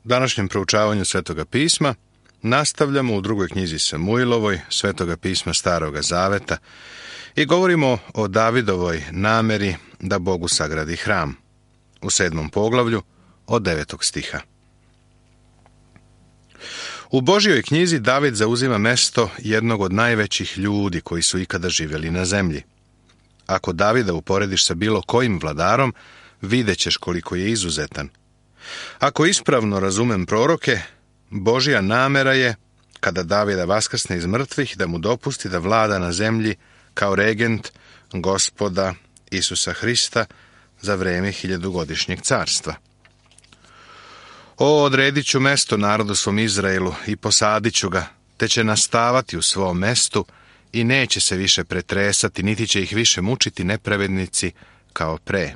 Današnjem proučavanju Svetoga pisma nastavljamo u drugoj knjizi Samuilovoj, Svetoga pisma Staroga zaveta, i govorimo o Davidovoj nameri da Bogu sagradi hram, u 7. poglavlju od 9. stiha. U Božjoj knjizi David zauzima mesto jednog od najvećih ljudi koji su ikada živjeli na zemlji. Ako Davida uporediš sa bilo kojim vladarom, vidjet ćeš koliko je izuzetan. Ako ispravno razumem proroke, Božja namera je, kada Davida vaskrsne iz mrtvih, da mu dopusti da vlada na zemlji kao regent Gospoda Isusa Hrista za vreme 1000-godišnjeg carstva. Odredit ću mesto narodu svom Izraelu i posadit ću ga, te će nastavati u svom mestu i neće se više pretresati, niti će ih više mučiti nepravednici kao pre.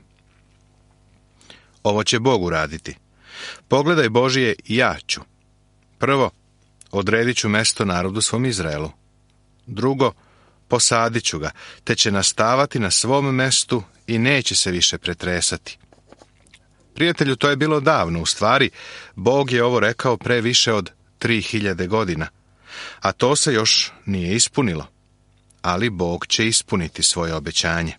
Ovo će Bog uraditi. Pogledaj Božije, ja ću. Prvo, odredit ću mesto narodu svom Izraelu. Drugo, posadit ću ga, te će nastavati na svom mestu i neće se više pretresati. Prijatelju, to je bilo davno. U stvari, Bog je ovo rekao pre više od 3000 godina, a to se još nije ispunilo. Ali Bog će ispuniti svoje obećanje.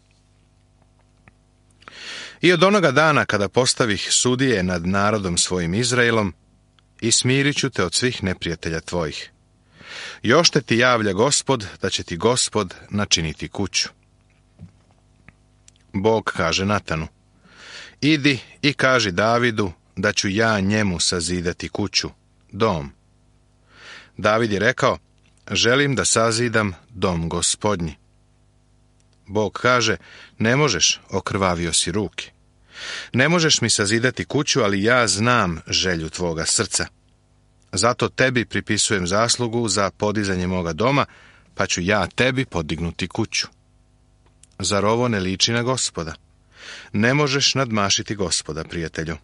I od onoga dana kada postavih sudije nad narodom svojim Izraelom, i smirit ću te od svih neprijatelja tvojih. Još te ti javlja Gospod, da će ti Gospod načiniti kuću. Bog kaže Natanu: idi i kaži Davidu da ću ja njemu sazidati kuću, dom. David je rekao: želim da sazidam dom Gospodnji. Bog kaže: ne možeš, okrvavio si ruke. Ne možeš mi sazidati kuću, ali ja znam želju tvoga srca. Zato tebi pripisujem zaslugu za podizanje moga doma, pa ću ja tebi podignuti kuću. Zar ovo ne liči na Gospoda? Ne možeš nadmašiti Gospoda, prijatelju.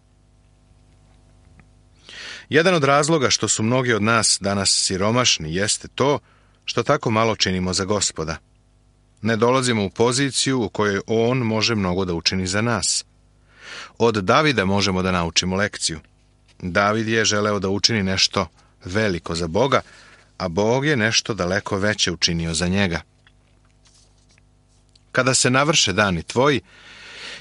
Jedan od razloga što su mnogi od nas danas siromašni jeste to što tako malo činimo za Gospoda. Ne dolazimo u poziciju u kojoj On može mnogo da učini za nas. Od Davida možemo da naučimo lekciju. David je želeo da učini nešto veliko za Boga, a Bog je nešto daleko veće učinio za njega. Kada se navrše dani tvoji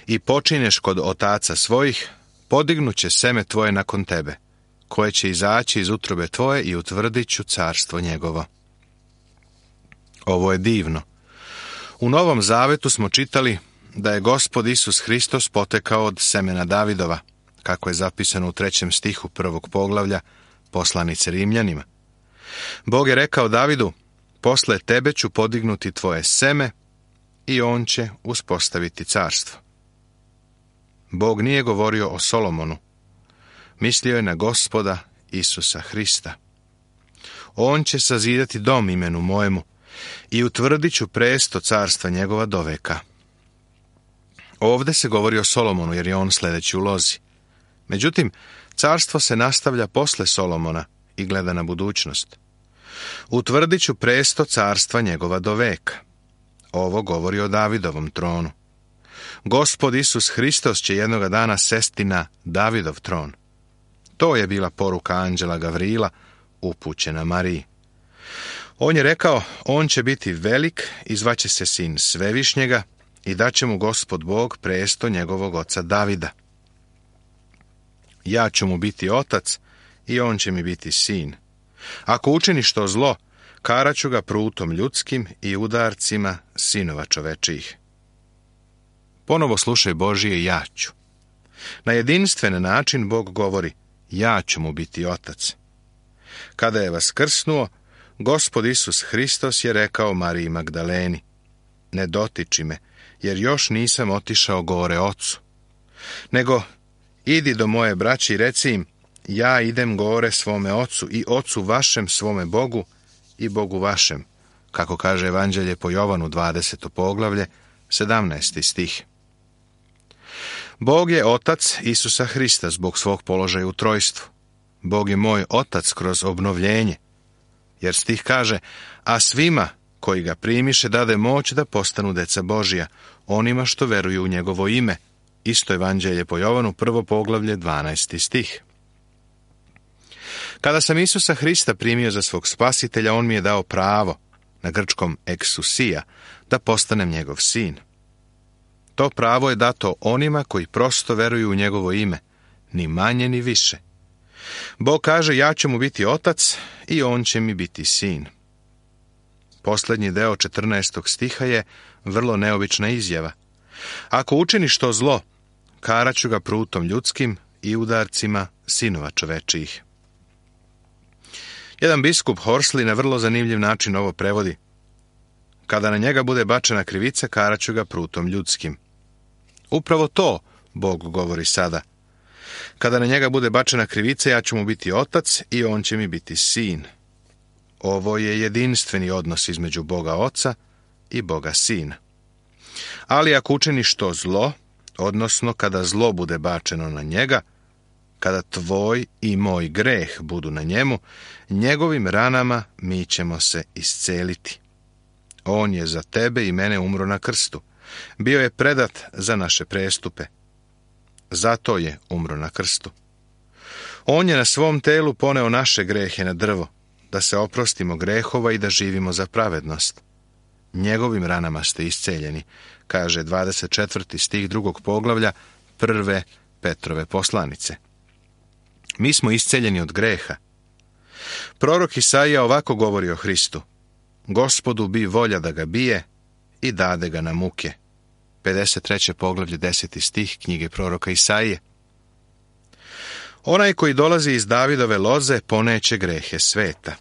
i počinješ kod otaca svojih, podignuće seme tvoje nakon tebe, koje će izaći iz utrobe tvoje i utvrdit ću carstvo njegovo. Ovo je divno. U Novom Zavetu smo čitali da je Gospod Isus Hristos potekao od semena Davidova, kako je zapisano u 3. stihu 1. poglavlja poslanice Rimljanima. Bog je rekao Davidu: posle tebe ću podignuti tvoje seme i on će uspostaviti carstvo. Bog nije govorio o Solomonu. Mislio je na Gospoda Isusa Hrista. On će sazidati dom imenu mojemu i utvrdit ću presto carstva njegova do veka. Ovdje se govori o Solomonu, jer je on sljedeći u lozi. Međutim, carstvo se nastavlja posle Solomona i gleda na budućnost. Utvrdit ću presto carstva njegova do veka. Ovo govori o Davidovom tronu. Gospod Isus Hristos će jednoga dana sesti na Davidov tron. To je bila poruka anđela Gavrila upućena Mariji. On je rekao: on će biti velik i zvaće se sin Svevišnjega i daće mu Gospod Bog presto njegovog oca Davida. Ja ću mu biti otac i on će mi biti sin. Ako učini što zlo, karaću ga prutom ljudskim i udarcima sinova čovečijih. Ponovo slušaj Božije ja ću. Na jedinstven način Bog govori: ja ću mu biti otac. Kada je vaskrsnuo, Gospod Isus Hristos je rekao Mariji Magdaleni: ne dotiči me, jer još nisam otišao gore ocu. Nego idi do moje braće i reci im: ja idem gore svome ocu i ocu vašem, svome Bogu i Bogu vašem, kako kaže Evanđelje po Jovanu 20. poglavlje 17. stih. Bog je otac Isusa Hrista zbog svog položaja u trojstvu. Bog je moj otac kroz obnovljenje, jer stih kaže: a svima koji ga primiše dade moć da postanu deca Božija, onima što veruju u njegovo ime. Isto Evanđelje po Jovanu, 1. poglavlje, 12. stih. Kada sam Isusa Hrista primio za svog spasitelja, on mi je dao pravo, na grčkom exousia, da postanem njegov sin. To pravo je dato onima koji prosto veruju u njegovo ime, ni manje ni više. Bog kaže, ja ću mu biti otac i on će mi biti sin. Posljednji deo 14. stiha je vrlo neobična izjava. Ako učiniš to zlo, karaću ga prutom ljudskim i udarcima sinova čovečijih. Jedan biskup Horsley na vrlo zanimljiv način ovo prevodi. Kada na njega bude bačena krivica, karaću ga prutom ljudskim. Upravo to Bog govori sada. Kada na njega bude bačena krivica, ja ću mu biti otac i on će mi biti sin. Ovo je jedinstveni odnos između Boga Oca i Boga Sina. Ali ako učiniš to zlo, odnosno kada zlo bude bačeno na njega, kada tvoj i moj greh budu na njemu, njegovim ranama mi ćemo se isceliti. On je za tebe i mene umro na krstu. Bio je predat za naše prestupe. Zato je umro na krstu. On je na svom telu poneo naše grehe na drvo, da se oprostimo grehova i da živimo za pravednost. Njegovim ranama ste isceljeni, kaže 24. stih 2. poglavlja 1. Petrove poslanice. Mi smo isceljeni od greha. Prorok Isaija ovako govori o Hristu. Gospodu bi volja da ga bije i dade ga na muke. 53. poglavlje 10. stih knjige proroka Isaije. Onaj koji dolazi iz Davidove loze poneće grehe sveta.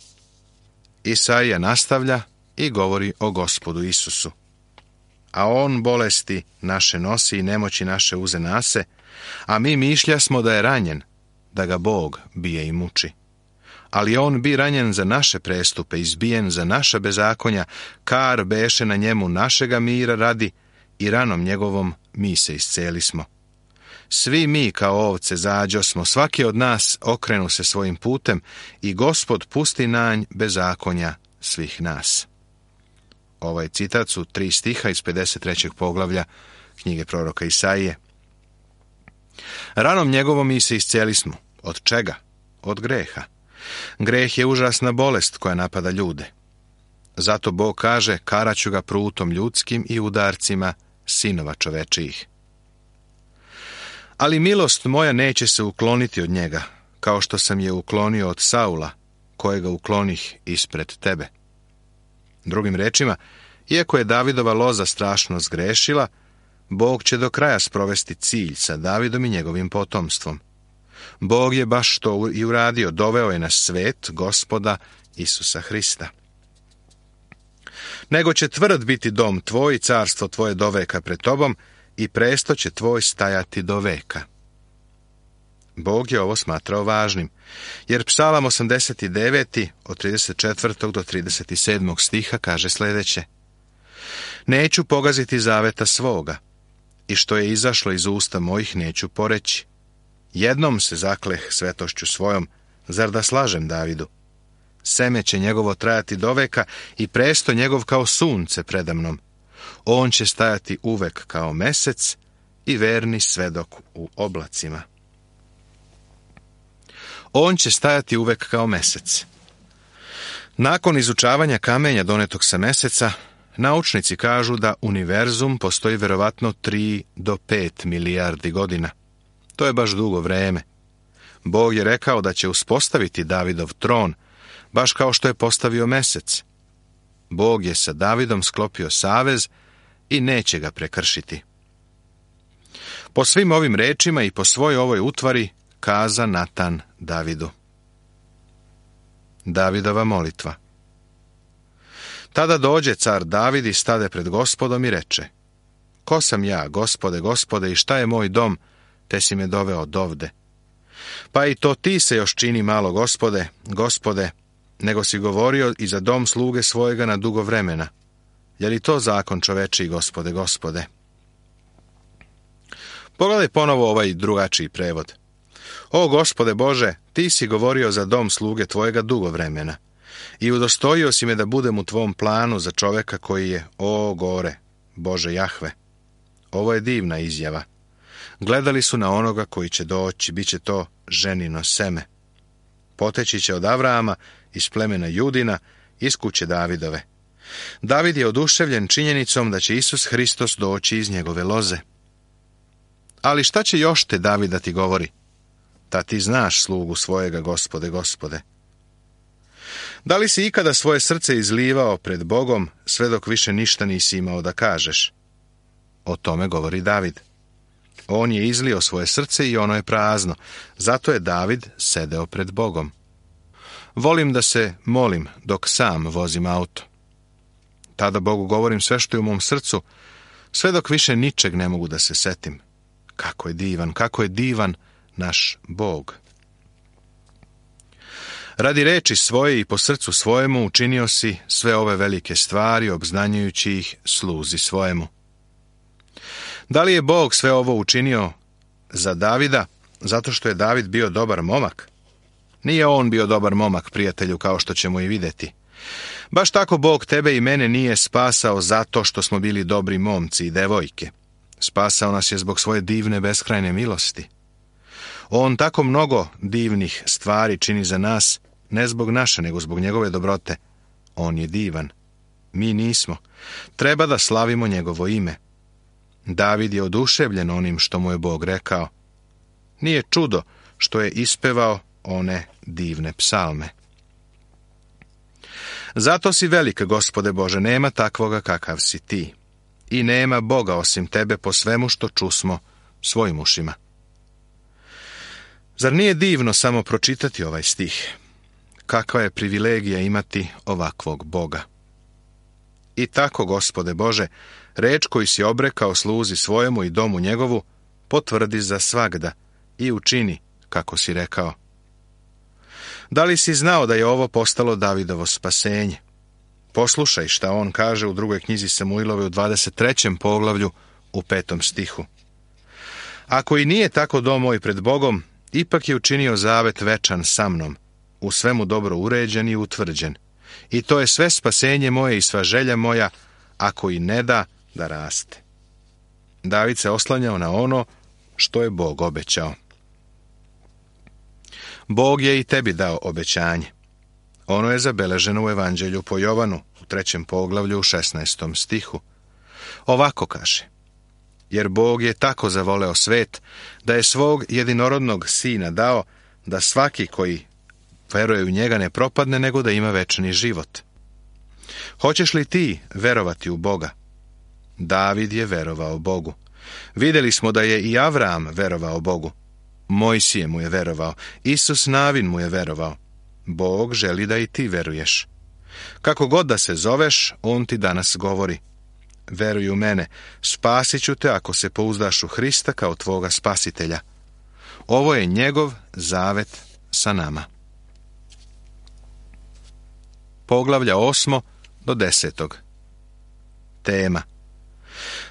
Isaija nastavlja i govori o Gospodu Isusu. A on bolesti naše nosi i nemoći naše uze nase, a mi mišlja smo da je ranjen, da ga Bog bije i muči. Ali on bi ranjen za naše prestupe, izbijen za naša bezakonja, kar beše na njemu našega mira radi i ranom njegovom mi se iscelismo. Svi mi kao ovce zađosmo, svaki od nas okrenu se svojim putem i Gospod pusti nanj bezakonja svih nas. Ovaj citat su 3 stiha iz 53. poglavlja knjige proroka Isaije. Ranom njegovom mi se iscelismo. Od čega? Od greha. Greh je užasna bolest koja napada ljude. Zato Bog kaže, karaću ga prutom ljudskim i udarcima sinova čovečijih. Ali milost moja neće se ukloniti od njega, kao što sam je uklonio od Saula, kojega uklonih ispred tebe. Drugim rečima, iako je Davidova loza strašno zgrešila, Bog će do kraja sprovesti cilj sa Davidom i njegovim potomstvom. Bog je baš to i uradio, doveo je na svet Gospoda Isusa Hrista. Nego će tvrd biti dom tvoj, carstvo tvoje do veka pred tobom i presto će tvoj stajati do veka. Bog je ovo smatrao važnim, jer Psalam 89. od 34. do 37. stiha kaže sljedeće. Neću pogaziti zaveta svoga, i što je izašlo iz usta mojih neću poreći. Jednom se zakleh svetošću svojom, zar da slažem Davidu? Seme će njegovo trajati do veka i presto njegov kao sunce predamnom. On će stajati uvek kao mesec i verni svedok u oblacima. On će stajati uvek kao mesec. Nakon izučavanja kamenja donetog sa meseca, naučnici kažu da univerzum postoji verovatno 3 do 5 milijardi godina. To je baš dugo vreme. Bog je rekao da će uspostaviti Davidov tron, baš kao što je postavio mesec. Bog je sa Davidom sklopio savez i neće ga prekršiti. Po svim ovim rečima i po svoj ovoj utvari kaza Natan Davidu. Davidova molitva. Tada dođe car David i stade pred Gospodom i reče: Ko sam ja, Gospode, Gospode, i šta je moj dom, te si me doveo dovde? Pa i to ti se još čini malo, Gospode, Gospode, nego si govorio i za dom sluge svojega na dugo vremena. Je li to zakon čovečiji, Gospode, Gospode? Pogledaj ponovo ovaj drugačiji prevod. O Gospode Bože, ti si govorio za dom sluge tvojega dugo vremena i udostojio si me da budem u tvom planu za čoveka koji je, o gore, Bože Jahve. Ovo je divna izjava. Gledali su na onoga koji će doći, bit će to ženino seme. poteći će od Avrama, iz plemena Judina, iz kuće Davidove. David je oduševljen činjenicom da će Isus Hristos doći iz njegove loze. Ali šta će još te David da ti govori? Ta ti znaš slugu svojega, Gospode, Gospode. Da li si ikada svoje srce izlivao pred Bogom, sve dok više ništa nisi imao da kažeš? O tome govori David. On je izlio svoje srce i ono je prazno, zato je David sedeo pred Bogom. Volim da se molim dok sam vozim auto. Tada Bogu govorim sve što je u mom srcu, sve dok više ničeg ne mogu da se setim. Kako je divan naš Bog. Radi reči svoje i po srcu svojemu učinio si sve ove velike stvari, obznanjujući ih sluzi svojemu. Da li je Bog sve ovo učinio za Davida, zato što je David bio dobar momak? Nije on bio dobar momak, prijatelju, kao što ćemo i vidjeti. Baš tako Bog tebe i mene nije spasao zato što smo bili dobri momci i devojke. Spasao nas je zbog svoje divne beskrajne milosti. On tako mnogo divnih stvari čini za nas, ne zbog naše, nego zbog njegove dobrote. On je divan. Mi nismo. Treba da slavimo njegovo ime. David je oduševljen onim što mu je Bog rekao. Nije čudo što je ispevao one divne psalme. Zato si velik, Gospode Bože, nema takvoga kakav si ti. I nema Boga osim tebe po svemu što čusmo svojim ušima. Zar nije divno samo pročitati ovaj stih? Kakva je privilegija imati ovakvog Boga. I tako, Gospode Bože, reč koju si obrekao sluzi svojemu i domu njegovu, potvrdi za svagda i učini kako si rekao. Da li si znao da je ovo postalo Davidovo spasenje? Poslušaj šta on kaže u 2. knjizi Samuilove u 23. poglavlju u 5. stihu. Ako i nije tako dom moj pred Bogom, ipak je učinio zavet večan sa mnom, u svemu dobro uređen i utvrđen. I to je sve spasenje moje i sva želja moja, ako i ne da raste. David se oslanjao na ono što je Bog obećao. Bog je i tebi dao obećanje. Ono je zabeleženo u Evanđelju po Jovanu, u 3. poglavlju u 16. stihu. Ovako kaže: jer Bog je tako zavoleo svet, da je svog jedinorodnog sina dao, da svaki koji veruje u njega ne propadne, nego da ima večni život. Hoćeš li ti verovati u Boga? David je verovao Bogu. Vidjeli smo da je i Avram verovao Bogu. Mojsije mu je verovao. Isus Navin mu je verovao. Bog želi da i ti veruješ. Kako god da se zoveš, on ti danas govori: veruj u mene, spasit ću te ako se pouzdaš u Hrista kao tvoga spasitelja. Ovo je njegov zavet sa nama. Poglavlja 8. do 10. Tema: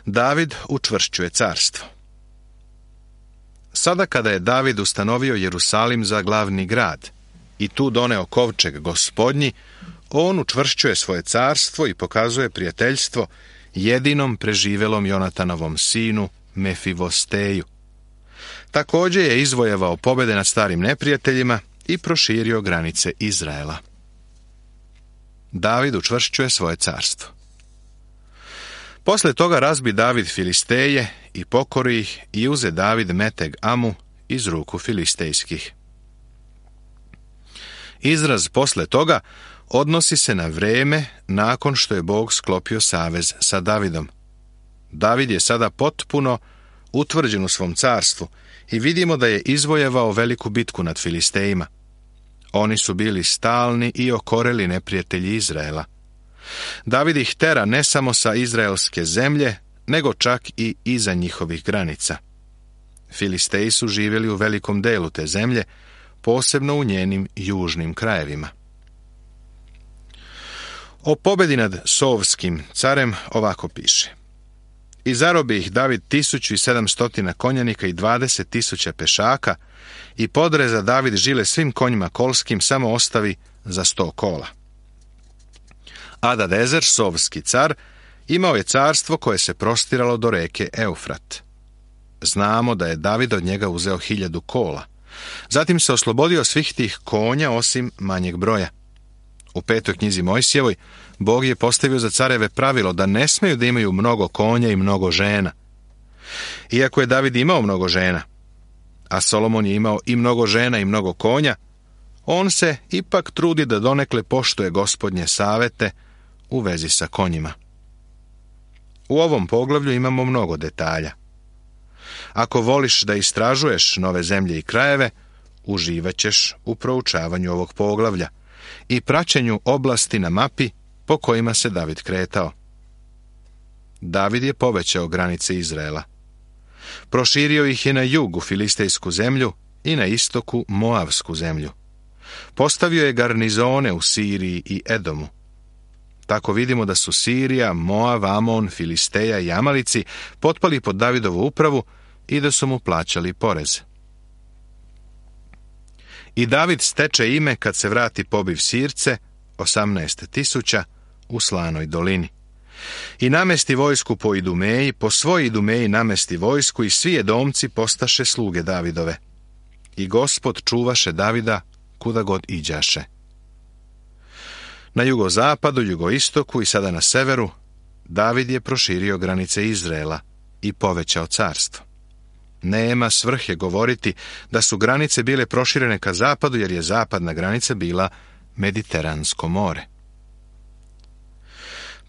David učvršćuje carstvo. Sada kada je David ustanovio Jerusalim za glavni grad i tu doneo kovčeg Gospodnji, on učvršćuje svoje carstvo i pokazuje prijateljstvo jedinom preživelom Jonatanovom sinu Mefivosteju. Također je izvojevao pobjede nad starim neprijateljima i proširio granice Izraela. David učvršćuje svoje carstvo. Posle toga razbi David Filisteje i pokori ih i uze David Meteg Amu iz ruku filistejskih. Izraz posle toga odnosi se na vrijeme nakon što je Bog sklopio savez sa Davidom. David je sada potpuno utvrđen u svom carstvu i vidimo da je izvojevao veliku bitku nad Filistejima. Oni su bili stalni i okoreli neprijatelji Izraela. David ih tera ne samo sa izraelske zemlje, nego čak i iza njihovih granica. Filisteji su živjeli u velikom delu te zemlje, posebno u njenim južnim krajevima. O pobjedi nad Sovskim carem ovako piše: i zarobi ih David 1700 konjanika i 20.000 pešaka i podreza David žile svim konjima kolskim, samo ostavi za 100 kola. Adadezer, Sovski car, imao je carstvo koje se prostiralo do reke Eufrat. Znamo da je David od njega uzeo 1000 kola, Zatim se oslobodio svih tih konja osim manjeg broja. U 5. knjizi Mojsijevoj Bog je postavio za careve pravilo da ne smeju da imaju mnogo konja i mnogo žena. Iako je David imao mnogo žena, a Solomon je imao i mnogo žena i mnogo konja, on se ipak trudi da donekle poštuje Gospodnje savete u vezi sa konjima. U ovom poglavlju imamo mnogo detalja. Ako voliš da istražuješ nove zemlje i krajeve, uživaćeš u proučavanju ovog poglavlja i praćenju oblasti na mapi po kojima se David kretao. David je povećao granice Izraela. Proširio ih je na jugu filistejsku zemlju i na istoku Moavsku zemlju. Postavio je garnizone u Siriji i Edomu. Tako vidimo da su Sirija, Moav, Amon, Filisteja i Amalici potpali pod Davidovu upravu i da su mu plaćali porez. I David steče ime kad se vrati pobiv Sirce, 18.000, u Slanoj dolini. I namesti vojsku po Idumeji, po svoj Idumeji namesti vojsku i svi Edomci postaše sluge Davidove. I Gospod čuvaše Davida kuda god iđaše. Na jugozapadu, jugoistoku i sada na severu, David je proširio granice Izraela i povećao carstvo. Nema svrhe govoriti da su granice bile proširene ka zapadu, jer je zapadna granica bila Mediteransko more.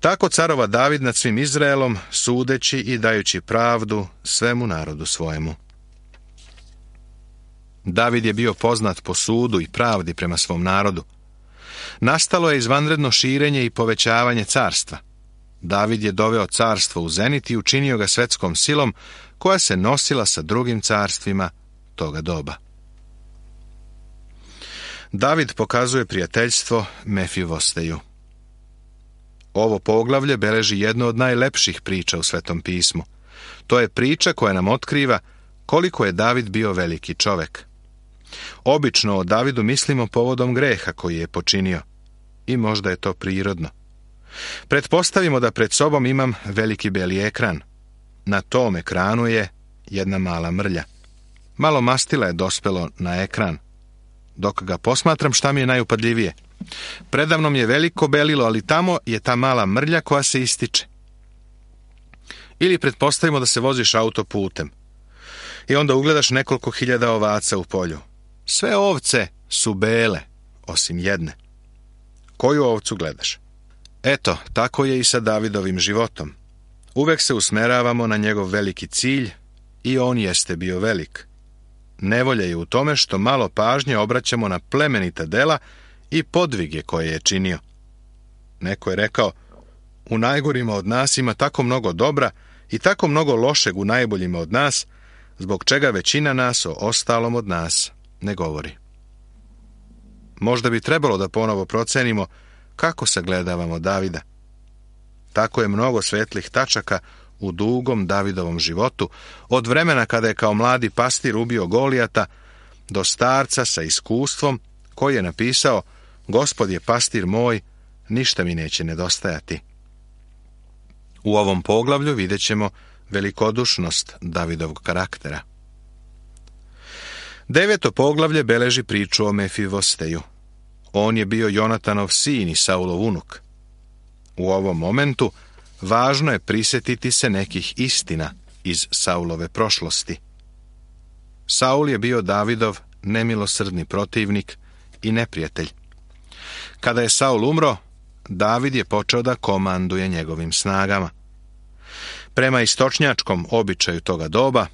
Tako carova David nad svim Izraelom, sudeći i dajući pravdu svemu narodu svojemu. David je bio poznat po sudu i pravdi prema svom narodu. Nastalo je izvanredno širenje i povećavanje carstva. David je doveo carstvo u zenit i učinio ga svetskom silom koja se nosila sa drugim carstvima toga doba. David pokazuje prijateljstvo Mefivosteju. Ovo poglavlje beleži jednu od najlepših priča u Svetom pismu. To je priča koja nam otkriva koliko je David bio veliki čovek. Obično o Davidu mislimo povodom greha koji je počinio. I možda je to prirodno. Pretpostavimo da pred sobom imam veliki beli ekran. Na tom ekranu je jedna mala mrlja. Malo mastila je dospelo na ekran. Dok ga posmatram, šta mi je najupadljivije? Predamnom je veliko belilo, ali tamo je ta mala mrlja koja se ističe. Ili pretpostavimo da se voziš autoputem i onda ugledaš nekoliko hiljada ovaca u polju. Sve ovce su bele, osim jedne. Koju ovcu gledaš? Eto, tako je i sa Davidovim životom. Uvek se usmeravamo na njegov veliki cilj i on jeste bio velik. Nevolja je u tome što malo pažnje obraćamo na plemenita dela i podvige koje je činio. Neko je rekao, u najgorima od nas ima tako mnogo dobra i tako mnogo lošeg u najboljima od nas, zbog čega većina nas o ostalom od nas ne govori. Možda bi trebalo da ponovo procenimo kako sagledavamo Davida. Tako je mnogo svetlih tačaka u dugom Davidovom životu, od vremena kada je kao mladi pastir ubio Golijata, do starca sa iskustvom koji je napisao, Gospod je pastir moj, ništa mi neće nedostajati. U ovom poglavlju vidjet ćemo velikodušnost Davidovog karaktera. 9. poglavlje beleži priču o Mefivosteju. On je bio Jonatanov sin i Saulov unuk. U ovom momentu važno je prisjetiti se nekih istina iz Saulove prošlosti. Saul je bio Davidov nemilosrdni protivnik i neprijatelj. Kada je Saul umro, David je počeo da komanduje njegovim snagama. Prema istočnjačkom običaju toga doba,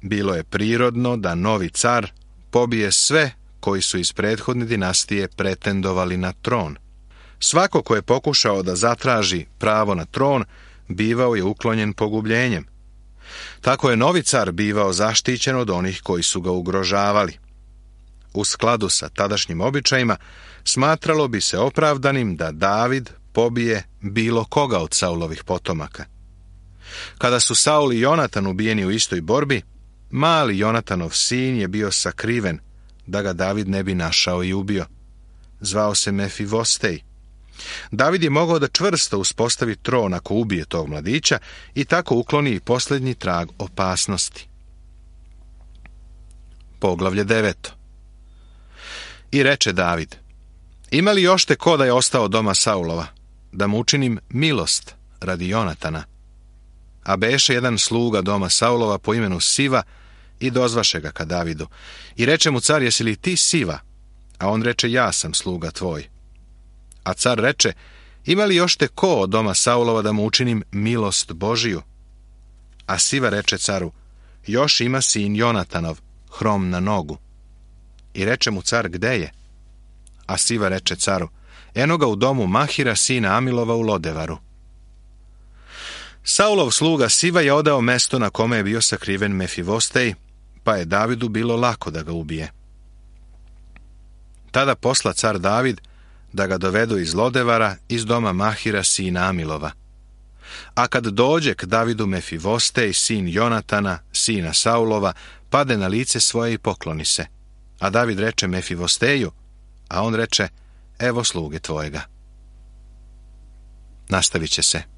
bilo je prirodno da novi car pobije sve koji su iz prethodne dinastije pretendovali na tron. Svako ko je pokušao da zatraži pravo na tron, bivao je uklonjen pogubljenjem. Tako je novi car bivao zaštićen od onih koji su ga ugrožavali. U skladu sa tadašnjim običajima, smatralo bi se opravdanim da David pobije bilo koga od Saulovih potomaka. Kada su Saul i Jonatan ubijeni u istoj borbi, mali Jonatanov sin je bio sakriven, da ga David ne bi našao i ubio. Zvao se Mefivostej. David je mogao da čvrsto uspostavi tron ako ubije tog mladića i tako ukloni i posljednji trag opasnosti. poglavlje 9. I reče David: Ima li još te ko da je ostao od doma Saulova, da mu učinim milost radi Jonatana? A beše jedan sluga doma Saulova po imenu Siva i dozvaše ga ka Davidu. I reče mu car: Jesi li ti Siva? A on reče: Ja sam sluga tvoj. A car reče: Ima li još te ko od doma Saulova da mu učinim milost Božiju? A Siva reče caru: Još ima sin Jonatanov, hrom na nogu. I reče mu car: Gde je? A Siva reče caru: Eno ga u domu Mahira, sina Amilova, u Lodevaru. Saulov sluga Siva je odao mesto na kome je bio sakriven Mefivostej, pa je Davidu bilo lako da ga ubije. Tada posla car David da ga dovedu iz Lodevara, iz doma Mahira, sina Amilova. A kad dođe k Davidu Mefivostej, sin Jonatana, sina Saulova, pade na lice svoje i pokloni se. A David reče Mefivosteju, a on reče: Evo sluge tvojega. Nastavit će se.